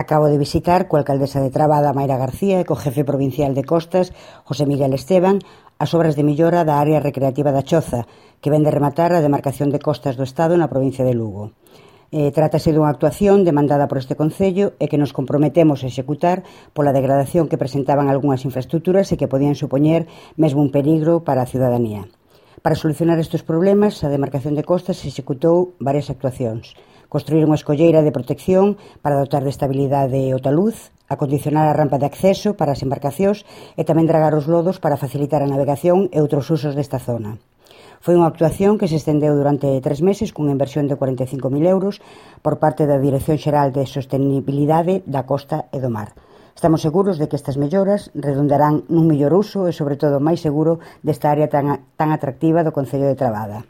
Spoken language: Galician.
Acabo de visitar coa alcaldesa de Trabada, Mayra García, e co jefe provincial de Costas, José Miguel Esteban, as obras de millora da área recreativa da Choza, que ven de rematar a demarcación de costas do Estado na provincia de Lugo. Trátase dunha actuación demandada por este Concello e que nos comprometemos a executar pola degradación que presentaban algunhas infraestructuras e que podían supoñer mesmo un peligro para a ciudadanía. Para solucionar estes problemas, a demarcación de costas executou varias actuacións. Construir unha escolleira de protección para dotar de estabilidade o taluz, acondicionar a rampa de acceso para as embarcacións e tamén dragar os lodos para facilitar a navegación e outros usos desta zona. Foi unha actuación que se estendeu durante 3 meses cunha inversión de 45.000 euros por parte da Dirección Xeral de Sostenibilidade da Costa e do Mar. Estamos seguros de que estas melloras redundarán nun mellor uso e, sobre todo, máis seguro desta área tan atractiva do Concello de Trabada.